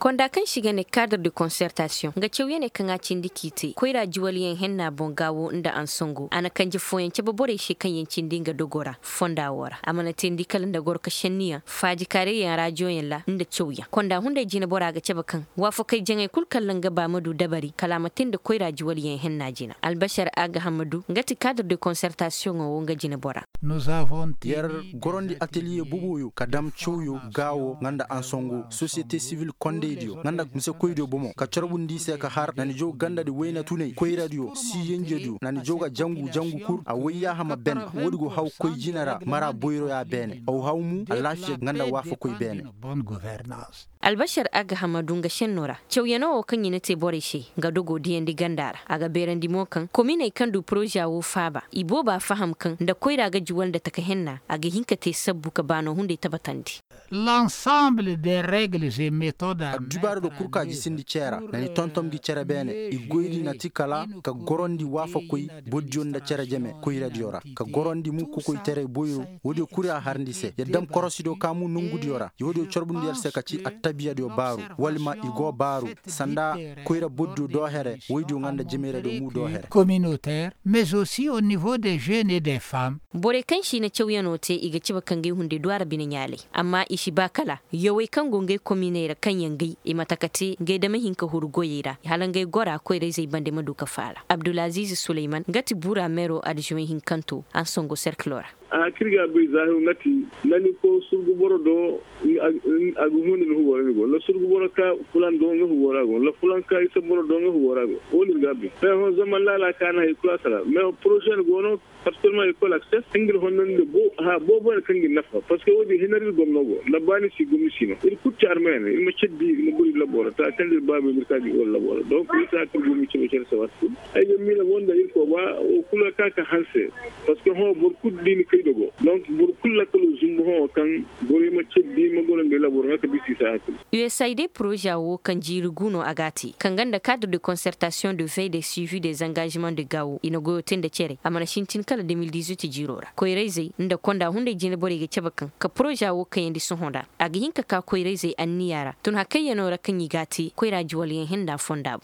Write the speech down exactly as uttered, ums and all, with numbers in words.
Konda kaŋ se i ga ne kaadar de konsertasiyoŋ nga cawyaney kaŋ a cindi k'i te koyra juwalyaŋ henna boŋ gaawo nda ansango a na kanje fooyaŋ cabe borey se kaŋ yaŋ cindi nga dogo ra fonda wo ra a mana teendi kala nda goro ka šenniyaŋ faajikaarayyaŋ raajiyoyaŋ ra nda cawyaŋ konda hunday jinebora ga cabe kaŋ waafakey jaŋay kul kaŋ ra nga ba ma du dabari kala a ma te nda koyra juwalyaŋ henna jina albasar agahamadu nga ti kaadar de konsertasiyoŋo wo nga jinebora. Yer gorandi ateliye boboyo ka dam cawyo gaawo nga nda ansango sosiyete sivil kondaydiyo nga nda misekoydiyo bomo ka corbundi i se ka har na ni jaw gandadi wayna tunay koyradiyo si yenjediyo na ni jaw ga jangu jangu kul a wayyaaha ma ben. Woodi go haw koy jine ra mara boyroya beene aw haw mu alaafiya nga nda waafakoy beene. Albasar agahamadu nga šenno ra cawyano wo kaŋ i na te borey se nga dogo diyandi ganda ra a ga beerandi mo kaŋ kominey kaŋ du poroza wo faaba i booba faham kaŋ nda koyra ga juwal nda taka henna a ga hin ka te sabbu ka baano hunday tabatandi. L'ensemble des règles et méthodes addubaari do kul ka jisindi cee ra na ni tontom gi cere beene i goy di na ti kala ka gorandi waafakoy bordiyo nda cere jeme koyradiyo ra ka gorandi mu kokoytaray boyro woodiyo kul a harndi se ya dam korosidiyo ka mu nongudiyo ra ya woodiyo corbundi yer se ka ci attabiyadiyo baaru wala ma i go baaru sanda koyra bordiyo doo here woydiyo nga nda jemeyradiyo mu doo here. Communautaire mais aussi au niveau des jeunes et des femmes. Borey kaŋ se i na cawyanoo te i ga cabe ka ngey hunday du a ra bine ɲaalay amma i si ba kala yawey kaŋ go ngey kominey ra kaŋ yaŋ gay i ma taka te ngey dama hin ka huru goyey ra hala ngey gora koyrayzey bande ma du ka faala abdulaziiz suleyman nga ti buura meero adjuwen hinkanto ansango serkilo ra. A hakir ga bay zaahiru nga ti, la ni ko surgu boro do a ga huna ni hugo ra ni go la surgu boro ka fulan do nga hugo ra go la fulan ka isa boro do nga hugo ra go. Wo no ir ga bay. Fay hõ zaman laala ka na hay kula sara mais poroze ni go no. Partikilarman ir koy laksef nga ir honnandi da boobo ne kaŋ ga ir nafa parceque wo- din hinar ir gomno go nda ba ni si gomni si no ir kulu ci armey no ir ma ceddi ir ma guri labo ra ta kaŋ da ir baabey no ir ka ga ir goro labo ra donk ir si a kaŋ gomni cebe care se waati kulu. Ay ga miila mo nda ir koy ba wo kulu ga ka ka hanse. Parceque hõ boro kulu da i na kay dogo donk boro kulu lakkalo zumbu hõ kaŋ borey ma ceddi ma goro nda ir labo ra nga ka bisa i se a hakilo. Usaid poroza wo kaŋ jiiri gu no a ga a te kaŋ ga nda cadre de concertation de veille de suivi des engagement de gawo i na goyo te nda cere a mana sintin kala de mil dizuit jiiro ra koyrayzey nda konda hunday jine borey ga cabe kaŋ ka poroza wo kayandi sohõ ra a ga hin ka ka koyrayzey anniya ra tun hakayyanoo ra kaŋ i ga a te koyra juwalyaŋ hinda fonda boŋ.